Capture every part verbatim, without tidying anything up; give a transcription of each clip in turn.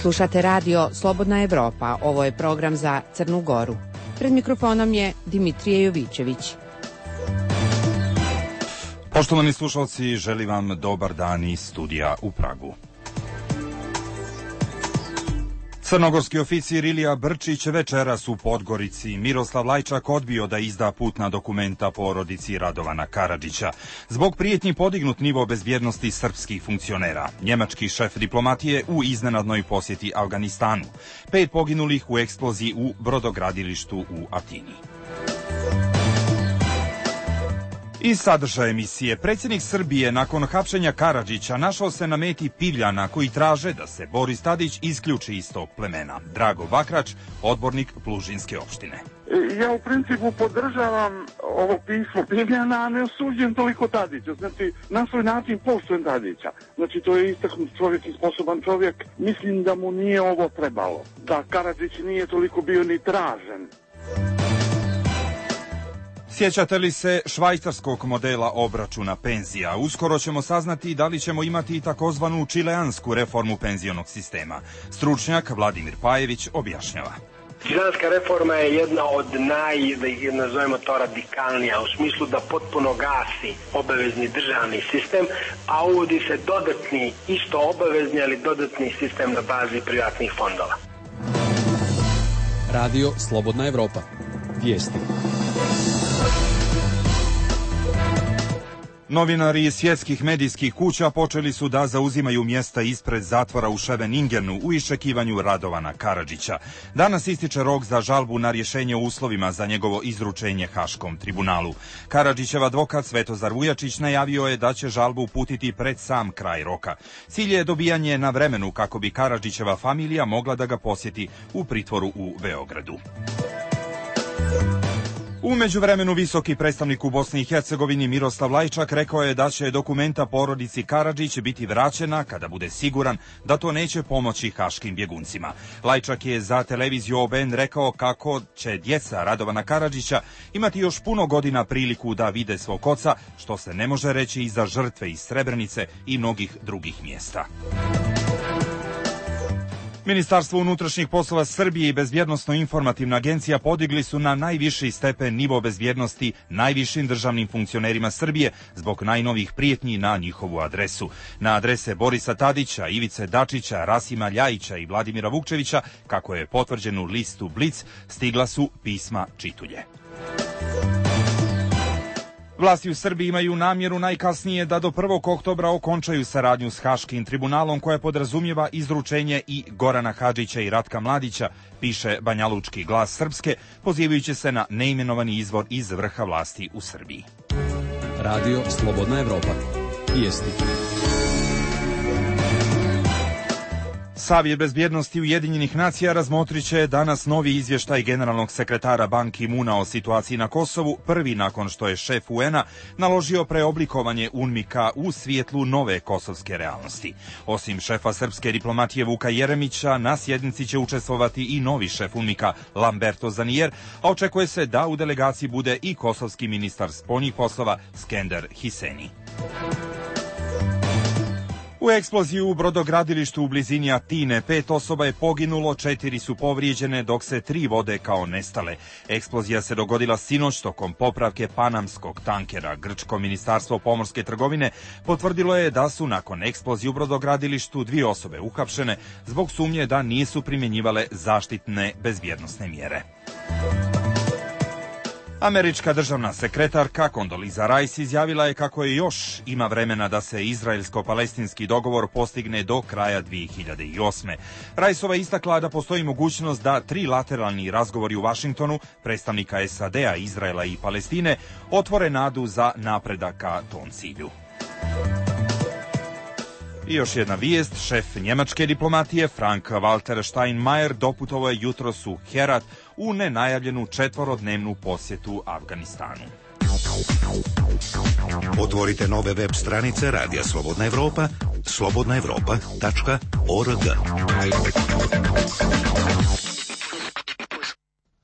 Slušate radio Slobodna Evropa, ovo je program za Crnu Goru. Pred mikrofonom je Dimitrije Jovićević. Poštovani slušalci, želim vam dobar dan iz studija u Pragu. Crnogorski oficir Ilija Brčić večeras u Podgorici. Miroslav Lajčak odbio da izda putna dokumenta porodici Radovana Karadžića. Zbog prijetnji podignut nivo bezbjednosti srpskih funkcionera. Njemački šef diplomatije u iznenadnoj posjeti Afganistanu. Pet poginulih u eksploziji u brodogradilištu u Atini. Iz sadržaja emisije, predsjednik Srbije nakon hapšenja Karadžića našao se na meti Pivljana koji traže da se Boris Tadić isključi iz tog plemena. Drago Bakrač, odbornik Plužinske opštine. Ja u principu podržavam ovo pismo Pivljana, a ne osuđujem toliko Tadića. Znači, na svoj način poštujem Tadića. Znači, to je istaknut čovjek i sposoban čovjek. Mislim da mu nije ovo trebalo. Da Karadžić nije toliko bio ni tražen. Sjećate li se švajcarskog modela obračuna penzija? Uskoro ćemo saznati da li ćemo imati i takozvanu čileansku reformu penzionog sistema. Stručnjak Vladimir Pajević objašnjava. Čileanska reforma je jedna od naj, da ih nazovemo to, radikalnija, u smislu da potpuno gasi obavezni državni sistem, a uvodi se dodatni, isto obavezni, ali dodatni sistem na bazi privatnih fondova. Radio Slobodna Evropa. Vijesti. Novinari iz svjetskih medijskih kuća počeli su da zauzimaju mjesta ispred zatvora u Scheveningenu u iščekivanju Radovana Karadžića. Danas ističe rok za žalbu na rješenje o uslovima za njegovo izručenje Haškom tribunalu. Karadžićev advokat Svetozar Vujačić najavio je da će žalbu uputiti pred sam kraj roka. Cilj je dobijanje na vremenu kako bi Karadžićeva familija mogla da ga posjeti u pritvoru u Beogradu. U međuvremenu visoki predstavnik u Bosni i Hercegovini Miroslav Lajčak rekao je da će dokumenta porodici Karadžić biti vraćena kada bude siguran da to neće pomoći haškim bjeguncima. Lajčak je za televiziju O B N rekao kako će djeca Radovana Karadžića imati još puno godina priliku da vide svog oca, što se ne može reći i za žrtve iz Srebrenice i mnogih drugih mjesta. Ministarstvo unutrašnjih poslova Srbije i Bezbjednosno-informativna agencija podigli su na najviši stepen nivo bezbjednosti najvišim državnim funkcionerima Srbije zbog najnovijih prijetnji na njihovu adresu. Na adrese Borisa Tadića, Ivice Dačića, Rasima Ljajića i Vladimira Vukčevića, kako je potvrđeno u listu Blic, stigla su pisma čitulje. Vlasti u Srbiji imaju namjeru najkasnije da do prvog oktobra okončaju saradnju s Haškim tribunalom koja podrazumijeva izručenje i Gorana Hadžića i Ratka Mladića, piše Banjalučki glas Srpske, pozivajući se na neimenovani izvor iz vrha vlasti u Srbiji. Radio Slobodna Evropa. Vijesti. Savjet bezbjednosti Ujedinjenih nacija razmotrit će danas novi izvještaj generalnog sekretara Ban Ki-muna o situaciji na Kosovu, prvi nakon što je šef U N-a naložio preoblikovanje UNMIK-a u svijetlu nove kosovske realnosti. Osim šefa srpske diplomatije Vuka Jeremića, na sjednici će učestvovati i novi šef UNMIK-a Lamberto Zanier, a očekuje se da u delegaciji bude i kosovski ministar spoljnih poslova Skender Hiseni. U eksploziji u brodogradilištu u blizini Atine pet osoba je poginulo, četiri su povrijeđene, dok se tri vode kao nestale. Eksplozija se dogodila sinoć tokom popravke panamskog tankera. Grčko ministarstvo pomorske trgovine potvrdilo je da su nakon eksplozije u brodogradilištu dvije osobe uhapšene zbog sumnje da nisu primjenjivale zaštitne bezbjednosne mjere. Američka državna sekretarka Condoleezza Rice izjavila je kako je još ima vremena da se izraelsko-palestinski dogovor postigne do kraja dvije hiljade osme. Riceova istakla da postoji mogućnost da trilateralni razgovori u Vašingtonu, predstavnika S A D-a, Izraela i Palestine, otvore nadu za napredak ka tom cilju. I još jedna vijest, šef njemačke diplomatije Frank-Walter Steinmeier doputovao je jutros u Herat u nenajavljenu četvorodnevnu posjetu Afganistanu. Otvorite nove web stranice Radija Slobodna Evropa, slobodna evropa tačka org.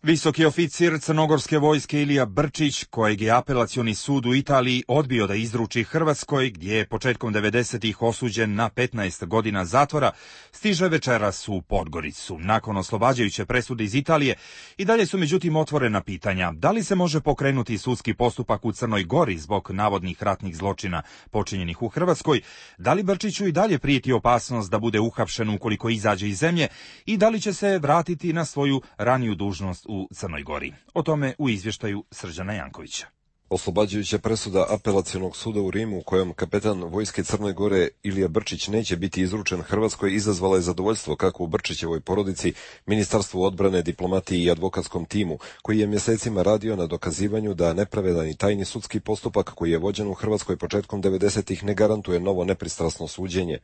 Visoki oficir crnogorske vojske Ilija Brčić, kojeg je apelacioni sud u Italiji odbio da izruči Hrvatskoj, gdje je početkom devedesetih osuđen na petnaest godina zatvora, stiže večeras u Podgoricu. Nakon oslobađajuće presude iz Italije, i dalje su međutim otvorena pitanja da li se može pokrenuti sudski postupak u Crnoj Gori zbog navodnih ratnih zločina počinjenih u Hrvatskoj, da li Brčiću i dalje prijeti opasnost da bude uhapšen ukoliko izađe iz zemlje i da li će se vratiti na svoju raniju dužnost u Crnoj Gori. O tome u izvještaju Srđana Jankovića. Oslobađajuća presuda apelacionog suda u Rimu, u kojem kapetan vojske Crne Gore Ilija Brčić neće biti izručen Hrvatskoj, izazvala je zadovoljstvo kako u Brčićevoj porodici, Ministarstvu odbrane, diplomatiji i advokatskom timu, koji je mjesecima radio na dokazivanju da nepravedan i tajni sudski postupak koji je vođen u Hrvatskoj početkom devedesetih ne garantuje novo nepristrasno suđenje.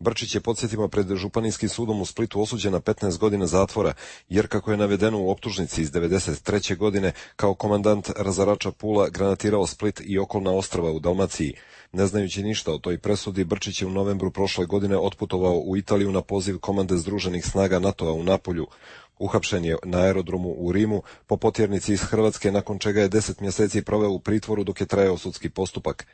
Brčić je, podsjetimo, pred Županijskim sudom u Splitu osuđen na petnaest godina zatvora, jer kako je navedeno u optužnici iz devedeset treće godine, kao komandant razarača Pula granatirao Split i okolna ostrva u Dalmaciji. Ne znajući ništa o toj presudi, Brčić je u novembru prošle godine otputovao u Italiju na poziv komande Združenih snaga NATO-a u Napolju. Uhapšen je na aerodromu u Rimu po potjernici iz Hrvatske, nakon čega je deset mjeseci proveo u pritvoru dok je trajao sudski postupak.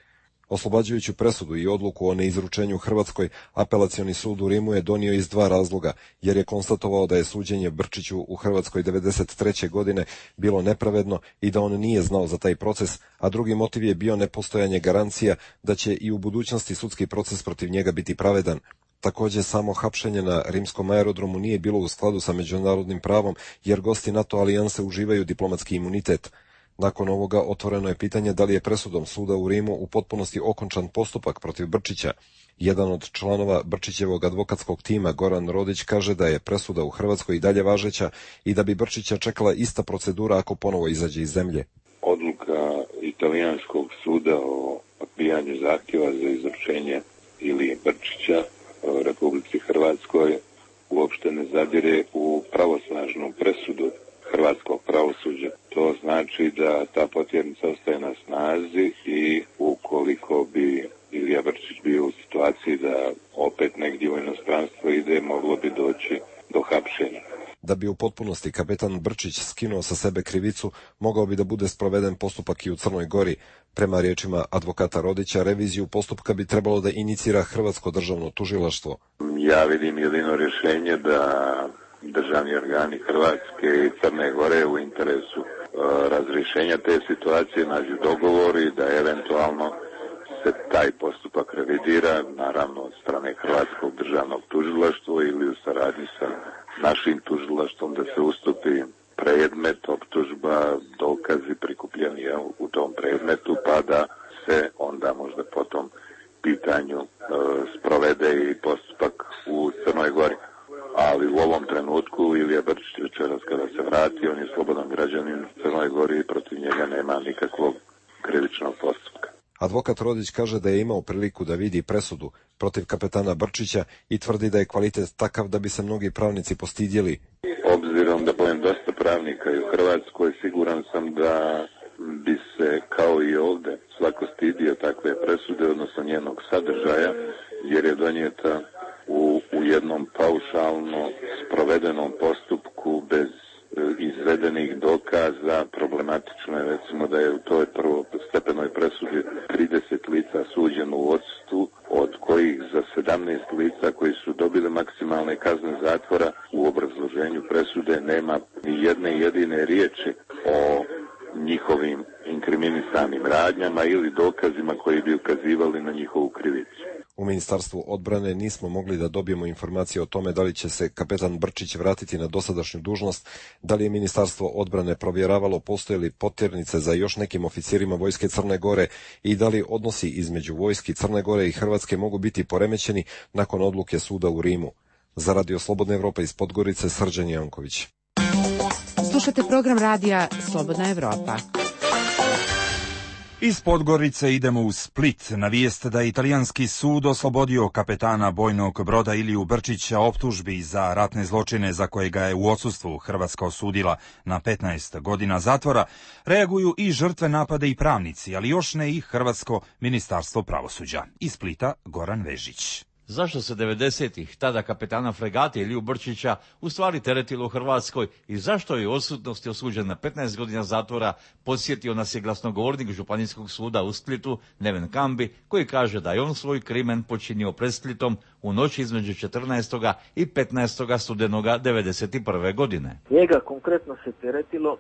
Oslobađajuću presudu i odluku o neizručenju Hrvatskoj, apelacioni sud u Rimu je donio iz dva razloga, jer je konstatovao da je suđenje Brčiću u Hrvatskoj devedeset treće godine bilo nepravedno i da on nije znao za taj proces, a drugi motiv je bio nepostojanje garancija da će i u budućnosti sudski proces protiv njega biti pravedan. Također, samo hapšenje na rimskom aerodromu nije bilo u skladu sa međunarodnim pravom, jer gosti NATO alijanse uživaju diplomatski imunitet. Nakon ovoga otvoreno je pitanje da li je presudom suda u Rimu u potpunosti okončan postupak protiv Brčića. Jedan od članova Brčićevog advokatskog tima, Goran Rodić, kaže da je presuda u Hrvatskoj i dalje važeća i da bi Brčića čekala ista procedura ako ponovo izađe iz zemlje. Odluka italijanskog suda o odbijanju zahtjeva za izručenje Ilije Brčića Republici Hrvatskoj uopšte ne zadire u pravosnažnu presudu hrvatskog pravosuđa. To znači da ta potjernica ostaje na snazi i ukoliko bi Ilija Brčić bio u situaciji da opet negdje u inostranstvo ide, moglo bi doći do hapšenja. Da bi u potpunosti kapetan Brčić skinuo sa sebe krivicu, mogao bi da bude sproveden postupak i u Crnoj Gori. Prema riječima advokata Rodića, reviziju postupka bi trebalo da inicira Hrvatsko državno tužilaštvo. Ja vidim jedino rješenje da državni organi Hrvatske i Crne Gore u interesu e, razrješenja te situacije nađu dogovori da eventualno se taj postupak revidira, naravno od strane Hrvatskog državnog tužilaštva ili u saradnji sa našim tužilaštvom, da se ustupi predmet, optužba, dokazi prikupljeni u tom predmetu, pa da se onda možda po tom pitanju e, sprovede i postupak u Crnoj Gori. Ali u ovom trenutku Ilija Brčić večeras kada se vrati, on je slobodan građanin u Crnoj Gori i protiv njega nema nikakvog krivičnog postupka. Advokat Rodić kaže da je imao priliku da vidi presudu protiv kapetana Brčića i tvrdi da je kvalitet takav da bi se mnogi pravnici postidjeli. Obzirom da pojem dosta pravnika i u Hrvatskoj, siguran sam da bi se kao i ovdje svako stidio takve presude, odnosno njenog sadržaja, jer je donijeta u, u jednom paušalno sprovedenom postupku bez izvedenih dokaza. Problematično je recimo da je u toj prvostepenoj presudi trideset lica suđeno u odsustvu, od kojih za sedamnaest lica koji su dobili maksimalne kazne zatvora u obrazloženju presude nema ni jedne jedine riječi o njihovim inkriminisanim radnjama ili dokazima koji bi ukazivali na njihovu krivicu. U Ministarstvu odbrane nismo mogli da dobijemo informacije o tome da li će se kapetan Brčić vratiti na dosadašnju dužnost, da li je Ministarstvo odbrane provjeravalo postoje li potjernice za još nekim oficirima vojske Crne Gore i da li odnosi između vojski Crne Gore i Hrvatske mogu biti poremećeni nakon odluke suda u Rimu. Za Radio Slobodna Evropa iz Podgorice, Srđan Janković. Slušate program radija Slobodna Evropa. Iz Podgorice idemo u Split na vijest da je italijanski sud oslobodio kapetana bojnog broda Iliju Brčića optužbi za ratne zločine za koje ga je u odsustvu Hrvatska osudila na petnaest godina zatvora. Reaguju i žrtve napada i pravnici, ali još ne i Hrvatsko ministarstvo pravosuđa. Iz Splita Goran Vežić. Zašto se devedesetih tada kapetana fregate Iliju Brčića u stvari teretilo u Hrvatskoj i zašto je u odsutnosti osuđen na petnaest godina zatvora, podsjetio nas je glasnogovornik Županijskog suda u Splitu Neven Kambi, koji kaže da je on svoj krimen počinio pred Splitom u noći između četrnaestog i petnaestog studenoga devedeset prve godine. Njega konkretno se teretilo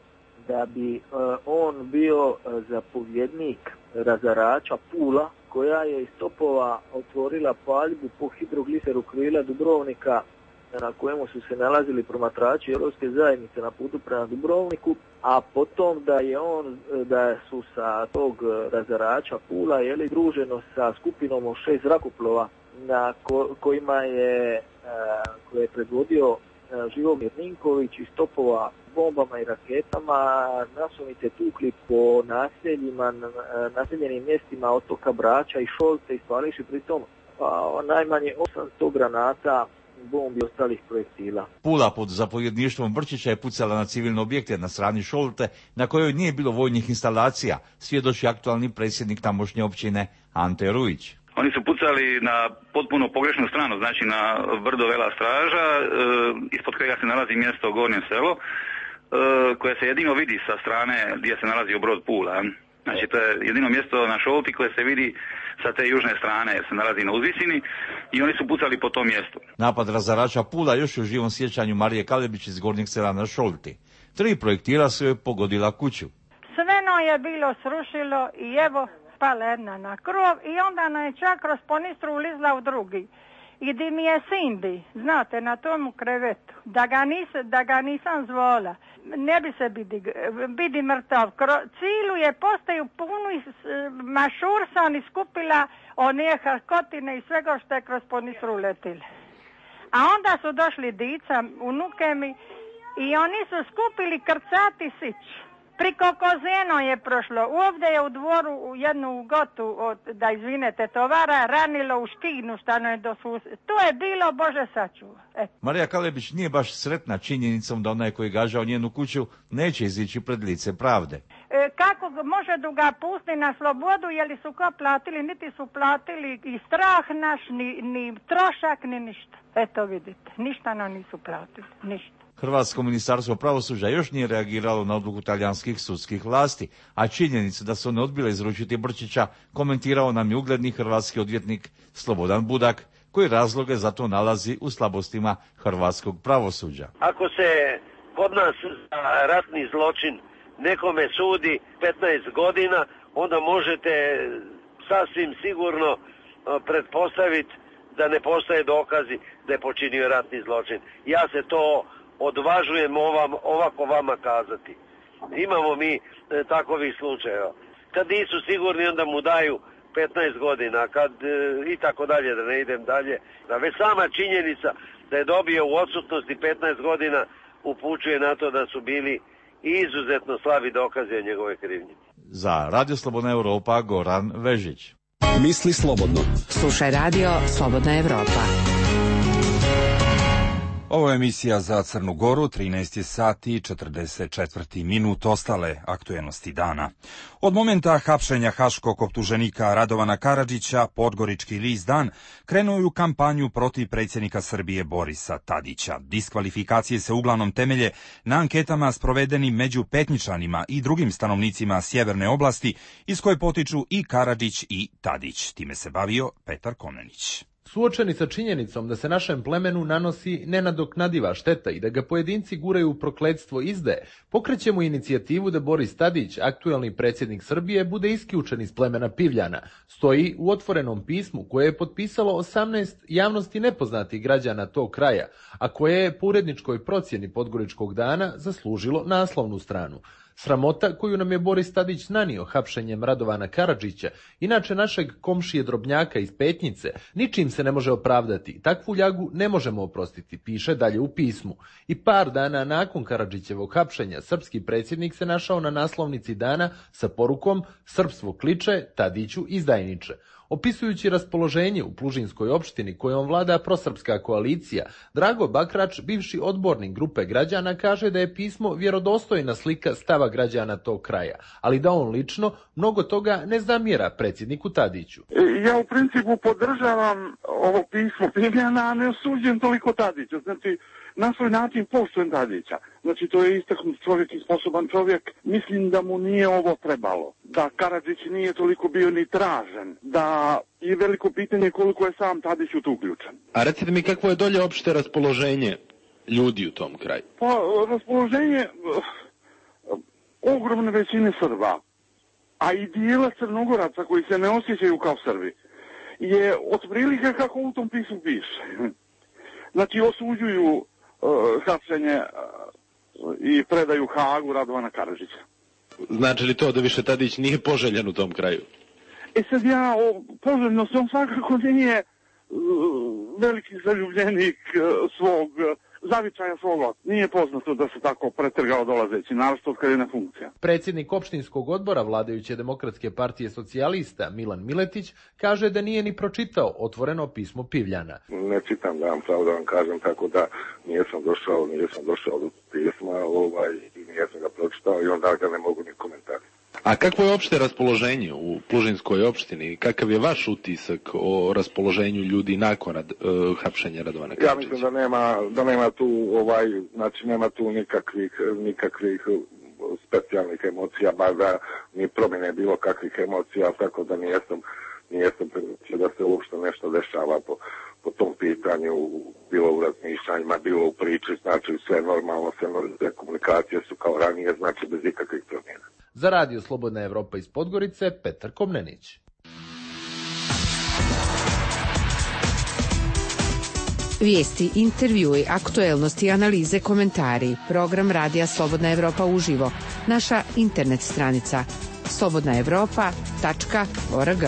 da bi uh, on bio uh, zapovjednik razarača Pula, koja je iz topova otvorila paljbu po hidrogliseru krila Dubrovnika, na kojemu su se nalazili promatrači Europske zajednice na putu prema Dubrovniku, a potom da je on, da su sa tog razarača Pula jeli, druženo sa skupinom od šest zrakoplova na ko, kojima je, koje je predvodio Živomir Ninković iz topova bombama i raketama nasumice tukli po naseljima, naseljenim mjestima otoka Brača i Šolte i spališi pritom pa, najmanje osamsto granata, bombi i ostalih projektila. Pula pod zapovjedništvom Brčića je pucala na civilne objekte na strani Šolte, na kojoj nije bilo vojnih instalacija, svjedoči aktualni predsjednik tamošnje općine Ante Rujić. Oni su pucali na potpuno pogrešnu stranu, znači na brdo Vela Straža, e, ispod kojega se nalazi mjesto Gornje selo, e, koje se jedino vidi sa strane gdje se nalazi Brod Pula. Znači to je jedino mjesto na Šolti koje se vidi sa te južne strane, jer se nalazi na uzvisini i oni su pucali po tom mjestu. Napad razarača Pula još u živom sjećanju Marije Kalebić iz Gornjeg sela na Šolti. Tri projektila su joj pogodila kuću. Sveno je bilo srušilo i evo pala jedna na krov i onda nam je čak kroz ponistru ulizla u drugi. I di mi je sin bi, znate, na tomu krevetu, da ga, nis, da ga nisam zvola, ne bi se bidi, bidi mrtav. Kro, cilu je postaju punu mašursan i skupila one harkotine i svega što je kroz ponistru uletile. A onda su došli dica, unuke mi, i oni su skupili krcati sić. Priko Kozeno je prošlo. Ovdje je u dvoru u jednu gotu, od, da izvinete, tovara ranilo u škinu stano je do susjeda. To je bilo, Bože sačuva. E. Marija Kalebić nije baš sretna činjenicom da onaj koji gažao njenu kuću neće izići pred lice pravde. E, kako može da ga pusti na slobodu, je li su ko platili, niti su platili i strah naš, ni, ni trošak, ni ništa. Eto vidite, ništa nam nisu platili, ništa. Hrvatsko ministarstvo pravosuđa još nije reagiralo na odluku talijanskih sudskih vlasti, a činjenicu da su one odbile izručiti Brčića komentirao nam je ugledni hrvatski odvjetnik Slobodan Budak, koji razloge za to nalazi u slabostima hrvatskog pravosuđa. Ako se kod nas za ratni zločin nekome sudi petnaest godina, onda možete sasvim sigurno pretpostaviti da ne postoje dokazi da je počinio ratni zločin. Ja se to odvažujem ovam, ovako vama kazati. Imamo mi e, takovih slučajeva. Kad nisu sigurni, onda mu daju petnaest godina, kad e, i tako dalje, da ne idem dalje. Da već sama činjenica da je dobio u odsutnosti petnaest godina upućuje na to da su bili izuzetno slabi dokazi o njegove krivnje. Za Radio Slobodna Europa, Goran Vežić. Misli slobodno. Slušaj Radio Slobodna Europa. Ovo je emisija za Crnu Goru, trinaest sati i četrdeset četiri minut, ostale aktuelnosti dana. Od momenta hapšenja haškog optuženika Radovana Karadžića, Podgorički list Dan krenuo je u kampanju protiv predsjednika Srbije Borisa Tadića. Diskvalifikacije se uglavnom temelje na anketama sprovedenim među Petničanima i drugim stanovnicima sjeverne oblasti, iz koje potiču i Karadžić i Tadić. Time se bavio Petar Komnenić. Suočeni sa činjenicom da se našem plemenu nanosi nenadoknadiva šteta i da ga pojedinci guraju u prokletstvo izdaje, pokrećemo inicijativu da Boris Tadić, aktuelni predsjednik Srbije, bude isključen iz plemena Pivljana. Stoji u otvorenom pismu koje je potpisalo osamnaest javnosti nepoznatih građana tog kraja, a koje je po uredničkoj procjeni Podgoričkog dana zaslužilo naslovnu stranu. Sramota koju nam je Boris Tadić nanio hapšenjem Radovana Karadžića, inače našeg komšije Drobnjaka iz Petnice, ničim se ne može opravdati. Takvu ljagu ne možemo oprostiti, piše dalje u pismu. I par dana nakon Karadžićevog hapšenja, srpski predsjednik se našao na naslovnici dana sa porukom "Srpstvo kliče, Tadiću izdajniče". Opisujući raspoloženje u Plužinskoj opštini kojom vlada prosrpska koalicija, Drago Bakrač, bivši odbornik grupe građana, kaže da je pismo vjerodostojna slika stava građana tog kraja, ali da on lično mnogo toga ne zamjera predsjedniku Tadiću. Ja u principu podržavam ovo pismo Pivljana, a ne osuđujem toliko Tadića. Znači, na svoj način poštujem Tadića. Znači, to je istaknut čovjek i sposoban čovjek. Mislim da mu nije ovo trebalo. Da Karadžić nije toliko bio ni tražen. Da je veliko pitanje koliko je sam Tadić u to uključen. A recite mi kakvo je dolje opšte raspoloženje ljudi u tom kraju? Pa, raspoloženje uh, ogromne većine Srba, a i dijela Crnogoraca koji se ne osjećaju kao Srbi, je otprilike kako u tom pismu piše. Znači, osuđuju uh, hapšenje uh, i predaju Hagu Radovana Karadžića. Znači li to da više Tadić nije poželjan u tom kraju? E sad ja, o poželjnosti, on svakako nije uh, veliki zaljubljenik uh, svog uh, zavičaja svoga. Nije poznato da se tako pretrgao dolazeći, naravno od kad je na funkcija. Predsjednik opštinskog odbora vladajuće Demokratske partije socijalista Milan Miletić kaže da nije ni pročitao otvoreno pismo Pivljana. Ne čitam, da vam pravo da vam kažem, tako da nijesam došao, nijesam došao do pisma ovaj, i nijesam ga pročitao i onda ga ne mogu ni komentariti. A kakvo je opšte raspoloženje u Plužinskoj opštini? Kakav je vaš utisak o raspoloženju ljudi nakon uh, hapšenja Radovana Karadžića? Ja mislim da nema, da nema tu ovaj, znači nema tu nikakvih, nikakvih specijalnih emocija, bar da ni promjene bilo kakvih emocija, tako da nijesam, nijesam primijetio da se uopšte nešto dešava po, po tom pitanju, bilo u razmišljanjima, bilo u priči, znači sve normalno, sve normalne komunikacije su kao ranije, znači bez ikakvih promjena. Za Radio Slobodna Evropa iz Podgorice, Petar Komnenić. Vijesti, intervjui, aktuelnosti, analize, komentari. Program Radija Slobodna Evropa uživo. Naša internet stranica slobodna evropa tačka org.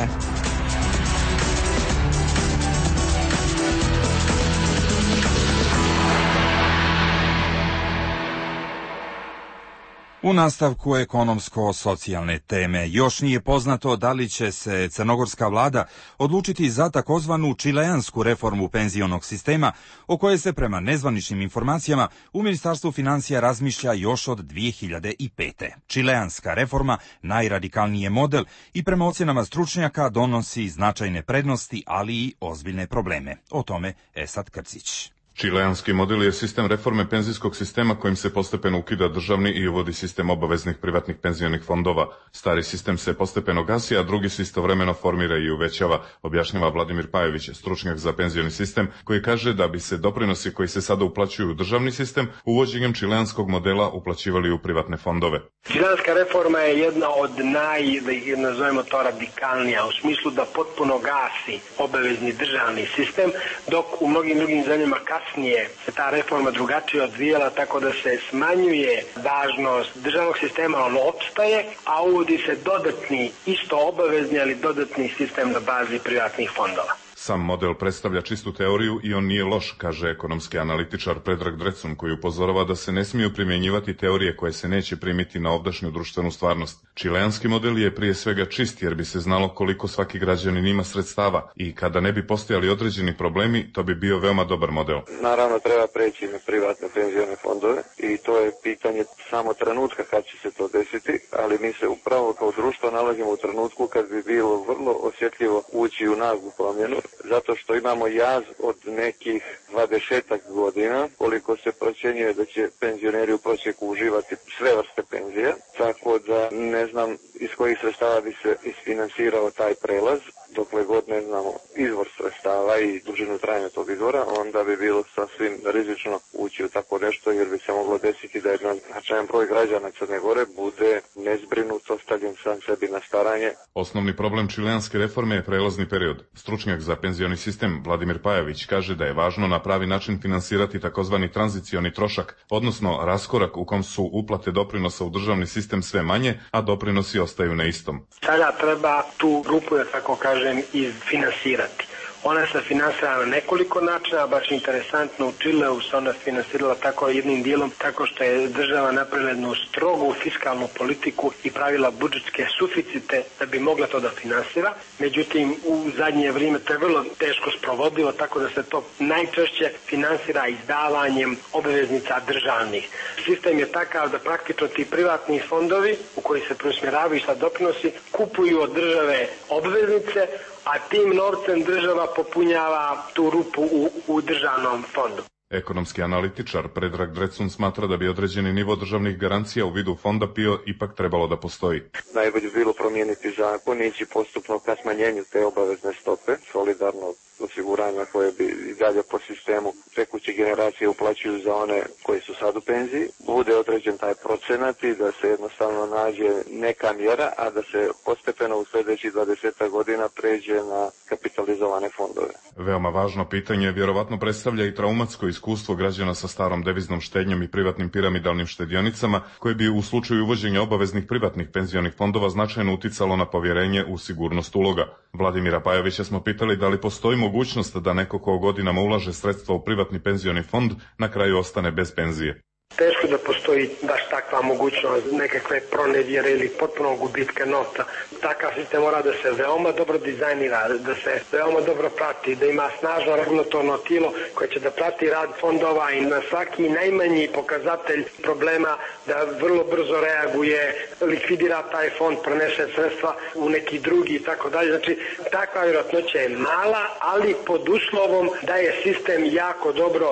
U nastavku ekonomsko-socijalne teme još nije poznato da li će se crnogorska vlada odlučiti za takozvanu čileansku reformu penzionog sistema, o kojoj se prema nezvaničnim informacijama u Ministarstvu financija razmišlja još od dvije hiljade pete. Čileanska reforma najradikalniji je model i prema ocjenama stručnjaka donosi značajne prednosti, ali i ozbiljne probleme. O tome Esad Krcić. Čileanski model je sistem reforme penzijskog sistema kojim se postepeno ukida državni i uvodi sistem obaveznih privatnih penzionih fondova. Stari sistem se postepeno gasi, a drugi se istovremeno formira i uvećava, objašnjava Vladimir Pajović, stručnjak za penzioni sistem, koji kaže da bi se doprinosi koji se sada uplaćuju u državni sistem uvođenjem čileanskog modela uplaćivali u privatne fondove. Čileanska reforma je jedna od naj, da ih nazovemo to, radikalnija, u smislu da potpuno gasi obavezni državni sistem, dok u mnogim drugim zemljama kasnije se ta reforma drugačije odvijala, tako da se smanjuje važnost državnog sistema, on opstaje, a uvodi se dodatni, isto obavezni, ali dodatni sistem na bazi privatnih fondova. Sam model predstavlja čistu teoriju i on nije loš, kaže ekonomski analitičar Predrag Drecun, koji upozorava da se ne smiju primjenjivati teorije koje se neće primiti na ovdašnju društvenu stvarnost. Čileanski model je prije svega čist jer bi se znalo koliko svaki građanin ima sredstava i kada ne bi postojali određeni problemi, to bi bio veoma dobar model. Naravno treba preći na privatne penzione fondove i to je pitanje samo trenutka kad će se to desiti, ali mi se upravo kao društvo nalazimo u trenutku kad bi bilo vrlo osjetljivo ući u naglu promjenu, zato što imamo jaz od nekih dvadesetak godina, koliko se procjenjuje da će penzioneri u prosjeku uživati sve vrste penzija, tako da ne znam iz kojih sredstava bi se isfinansirao taj prelaz. Dokle god ne znamo izvor sredstava i dužinu trajanja tog izvora, onda bi bilo sasvim rizično ući u tako nešto, jer bi se moglo desiti da jedan značajan broj građana Crne Gore bude nezbrinut, ostavljen sam sebi na staranje. Osnovni problem čileanske reforme je prelazni period. Stručnjak za penzioni sistem Vladimir Pajović kaže da je važno na pravi način finansirati takozvani tranzicioni trošak, odnosno raskorak u kom su uplate doprinosa u državni sistem sve manje, a doprinosi ostaju na istom. Sada treba tu grupu, da tako kažem, izfinansirati. Ona se finansira na nekoliko načina, baš interesantno u Čileu se ona finansirala tako jednim dijelom, tako što je država napravila jednu strogu fiskalnu politiku i pravila budžetske suficite da bi mogla to da finansira. Međutim, u zadnje vrijeme to je vrlo teško sprovodivo, tako da se to najčešće finansira izdavanjem obveznica državnih. Sistem je takav da praktično ti privatni fondovi u koji se preusmjeravaju sa doprinosi kupuju od države obveznice, a tim novcem država popunjava tu rupu u, u državnom fondu. Ekonomski analitičar Predrag Drecun smatra da bi određeni nivo državnih garancija u vidu fonda P I O ipak trebalo da postoji. Najbolje bilo promijeniti zakon i ići postupno ka smanjenju te obavezne stope, solidarno osiguranja koje bi i dalje po sistemu tekuće generacije uplaćuju za one koji su sad u penziji. Bude određen taj procenat i da se jednostavno nađe neka mjera, a da se postepeno u sljedećih dvadeset godina pređe na kapitalizovane fondove. Veoma važno pitanje vjerovatno predstavlja i traumatsko iskustvo građana sa starom deviznom štednjom i privatnim piramidalnim štedionicama, koje bi u slučaju uvođenja obaveznih privatnih penzionih fondova značajno uticalo na povjerenje u sigurnost uloga. Vladimira Pajovića smo pitali da li postoji mogućnost da neko ko godinama ulaže sredstva u privatni penzioni fond na kraju ostane bez penzije. Teško da postoji baš takva mogućnost nekakve pronevjere ili potpunog gubitka novca. Takav sistem mora da se veoma dobro dizajnira, da se veoma dobro prati, da ima snažno regulatorno tijelo koje će da prati rad fondova i na svaki najmanji pokazatelj problema da vrlo brzo reaguje, likvidira taj fond, prenese sredstva u neki drugi i tako dalje. Znači, takva vjerojatnoća je mala, ali pod uslovom da je sistem jako dobro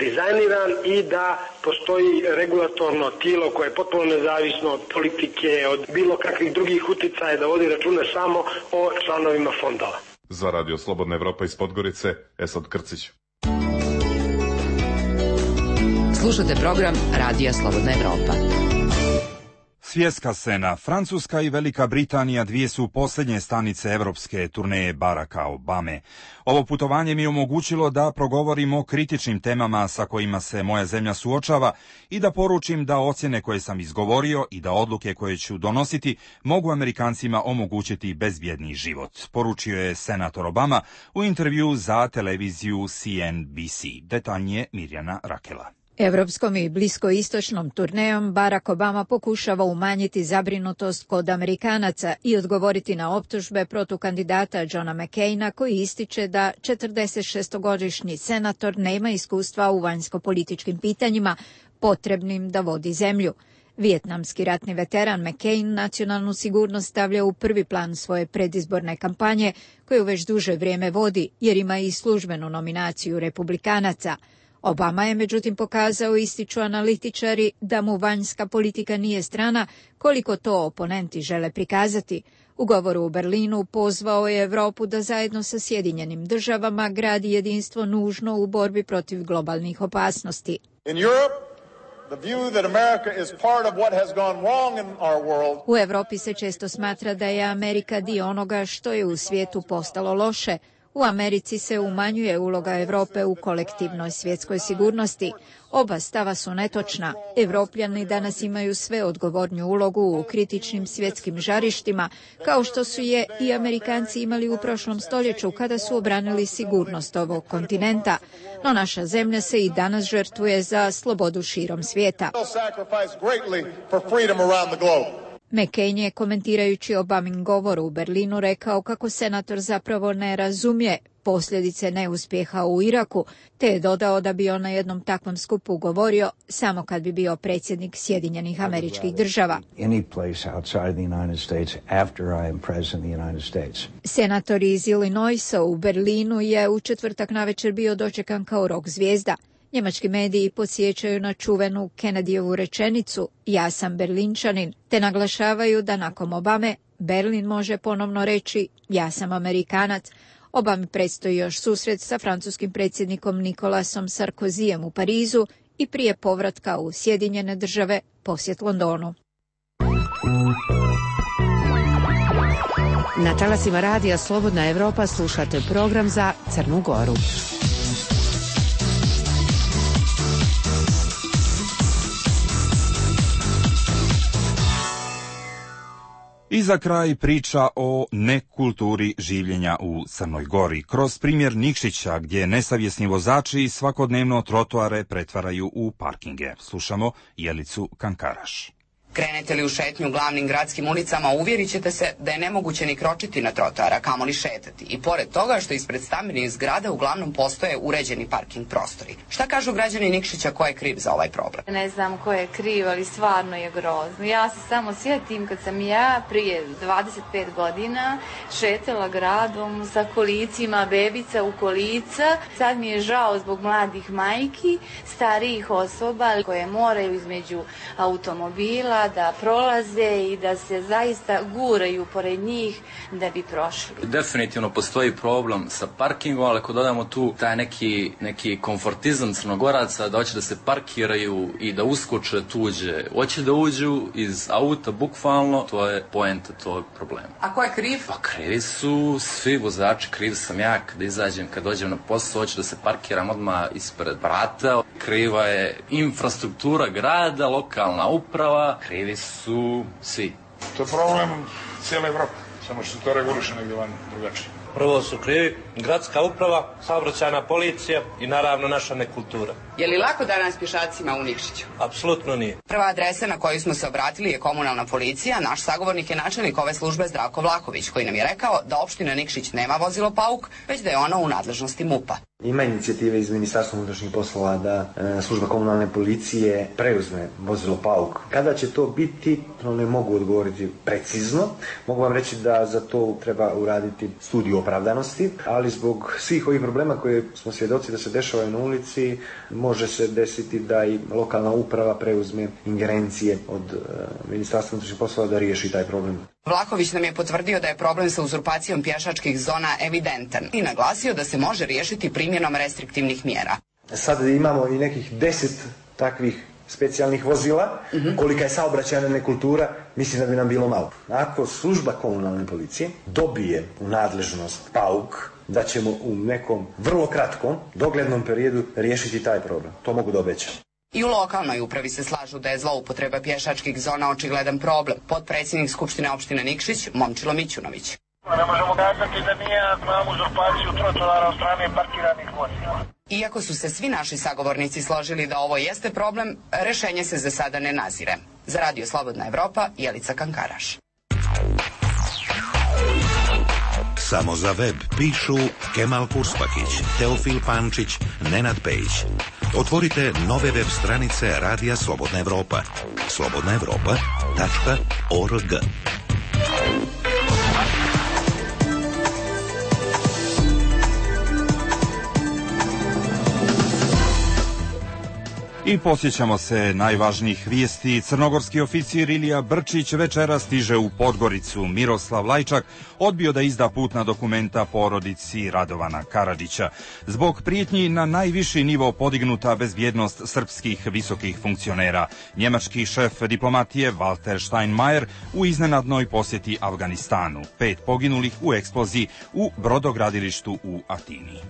dizajniran i da postoji regulatorno tijelo koje je potpuno nezavisno od politike, od bilo kakvih drugih uticaja, da vodi račune samo o članovima fondova. Za Radio Slobodna Evropa iz Podgorice, Esad Krcić. Slušate program Radija Slobodna Evropa. Svjetska scena. Francuska i Velika Britanija dvije su posljednje stanice evropske turneje Baracka Obame. Ovo putovanje mi je omogućilo da progovorimo o kritičnim temama sa kojima se moja zemlja suočava i da poručim da ocjene koje sam izgovorio i da odluke koje ću donositi mogu Amerikancima omogućiti bezbjedni život, poručio je senator Obama u intervju za televiziju C N B C. Detaljnije Mirjana Rakela. Evropskom i bliskoistočnom turnejom Barack Obama pokušava umanjiti zabrinutost kod Amerikanaca i odgovoriti na optužbe protiv kandidata Johna McCaina, koji ističe da četrdesetšestogodišnji senator nema iskustva u vanjsko-političkim pitanjima potrebnim da vodi zemlju. Vijetnamski ratni veteran McCain nacionalnu sigurnost stavlja u prvi plan svoje predizborne kampanje, koju već duže vrijeme vodi jer ima i službenu nominaciju Republikanaca. Obama je međutim pokazao, ističu analitičari, da mu vanjska politika nije strana koliko to oponenti žele prikazati. U govoru u Berlinu pozvao je Evropu da zajedno sa Sjedinjenim državama gradi jedinstvo nužno u borbi protiv globalnih opasnosti. In Europe, the view that America is part of what has gone wrong in our world. U Evropi se često smatra da je Amerika dio onoga što je u svijetu postalo loše. U Americi se umanjuje uloga Europe u kolektivnoj svjetskoj sigurnosti. Oba stava su netočna. Evropljani danas imaju sve odgovorniju ulogu u kritičnim svjetskim žarištima, kao što su je i Amerikanci imali u prošlom stoljeću kada su obranili sigurnost ovog kontinenta. No naša zemlja se i danas žrtvuje za slobodu širom svijeta. McCain je, komentirajući Obamin govor u Berlinu, rekao kako senator zapravo ne razumije posljedice neuspjeha u Iraku, te je dodao da bi on na jednom takvom skupu govorio samo kad bi bio predsjednik Sjedinjenih Američkih Država. Senator iz Illinoisa u Berlinu je u četvrtak navečer bio dočekan kao rock zvijezda. Njemački mediji podsjećaju na čuvenu Kennedyjevu rečenicu "Ja sam Berlinčanin", te naglašavaju da nakon Obame Berlin može ponovno reći "Ja sam Amerikanac". Obami predstoji još susret sa francuskim predsjednikom Nikolasom Sarkozyjem u Parizu i prije povratka u Sjedinjene države posjet Londonu. Na talasima Radija Slobodna Evropa slušate program za Crnu Goru. I za kraj priča o nekulturi življenja u Crnoj Gori. Kroz primjer Nikšića, gdje nesavjesni vozači svakodnevno trotoare pretvaraju u parkinge. Slušamo Jelicu Kankaraš. Krenete li u šetnju glavnim gradskim ulicama, uvjerit ćete se da je nemoguće ni kročiti na trotoara, kamoli šetati. I pored toga što ispred stambenih zgrada uglavnom postoje uređeni parking prostori. Šta kažu građani Nikšića, ko je kriv za ovaj problem? Ne znam ko je kriv, ali stvarno je grozno. Ja se samo sjetim kad sam ja prije dvadeset pet godina šetala gradom sa kolicima, bebica u kolica. Sad mi je žao zbog mladih majki, starijih osoba koje moraju između automobila da prolaze i da se zaista guraju pored njih da bi prošli. Definitivno postoji problem sa parkingom, ali ako dodamo tu taj neki, neki komfortizam Crnogoraca da hoće da se parkiraju i da uskoče tuđe, hoće da uđu iz auta bukvalno, to je poenta tog problema. A ko je kriv? Pa krivi su svi vozači, kriv sam ja kada izađem, kad dođem na posao, hoću da se parkiram odmah ispred vrata. Kriva je infrastruktura grada, lokalna uprava, krivi su svi. To je problem cijele Evrope, samo što se to reguliše negdje van drugačije. Prvo su krivi gradska uprava, saobraćajna policija i naravno naša nekultura. Je li lako danas pješacima u Nikšiću? Apsolutno nije. Prva adresa na koju smo se obratili je komunalna policija. Naš sagovornik je načelnik ove službe Zdravko Vlahović, koji nam je rekao da opština Nikšić nema vozilo Pauk, već da je ono u nadležnosti MUP-a. Ima inicijative iz Ministarstva unutrašnjih poslova da e, služba komunalne policije preuzme vozilo Pauk. Kada će to biti, ne mogu odgovoriti precizno. Mogu vam reći da za to treba uraditi studiju opravdanosti, ali zbog svih ovih problema koje smo svjedoci da se dešavaju na ulici, može se desiti da i lokalna uprava preuzme ingerencije od e, Ministarstva unutrašnjih poslova da riješi taj problem. Vlahović nam je potvrdio da je problem sa uzurpacijom pješačkih zona evidentan i naglasio da se može riješiti primjenom restriktivnih mjera. Sad imamo i nekih deset takvih specijalnih vozila, mm-hmm. kolika je saobraćajna nekultura, mislim da bi nam bilo malo. Ako služba komunalne policije dobije u nadležnost Pauk, da ćemo u nekom vrlo kratkom, doglednom periodu riješiti taj problem. To mogu da obećam. I u lokalnoj upravi se slažu da je zloupotreba pješačkih zona očigledan problem. Potpredsjednik Skupštine opštine Nikšić, Momčilo Mićunović. Ne možemo kazati da nije imamo uzurpaciju trotoara od strane parkiranih vozila. Iako su se svi naši sagovornici složili da ovo jeste problem, rešenje se za sada ne nazire. Za Radio Slobodna Evropa, Jelica Kankaraš. Samo za web pišu Kemal Kurspakić, Teofil Pančić, Nenad Pejić. Otvorite nove web stranice Radija Slobodna Evropa. slobodna evropa tačka org. I posjećamo se najvažnijih vijesti. Crnogorski oficir Ilija Brčić večera stiže u Podgoricu. Miroslav Lajčak odbio da izda putna dokumenta porodici Radovana Karadžića. Zbog prijetnji na najviši nivo podignuta bezbjednost srpskih visokih funkcionera. Njemački šef diplomatije Walter Steinmeier u iznenadnoj posjeti Afganistanu. Pet poginulih u eksploziji u brodogradilištu u Atini.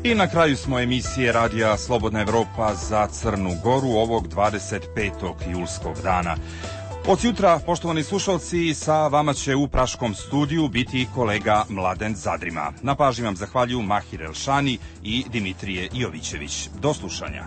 I na kraju smo emisije Radija Slobodna Evropa za Crnu Goru ovog dvadeset petog julskog dana. Od jutra, poštovani slušalci, sa vama će u praškom studiju biti kolega Mladen Zadrima. Na pažnji vam zahvaljuju Mahir Elšani i Dimitrije Jovićević. Do slušanja.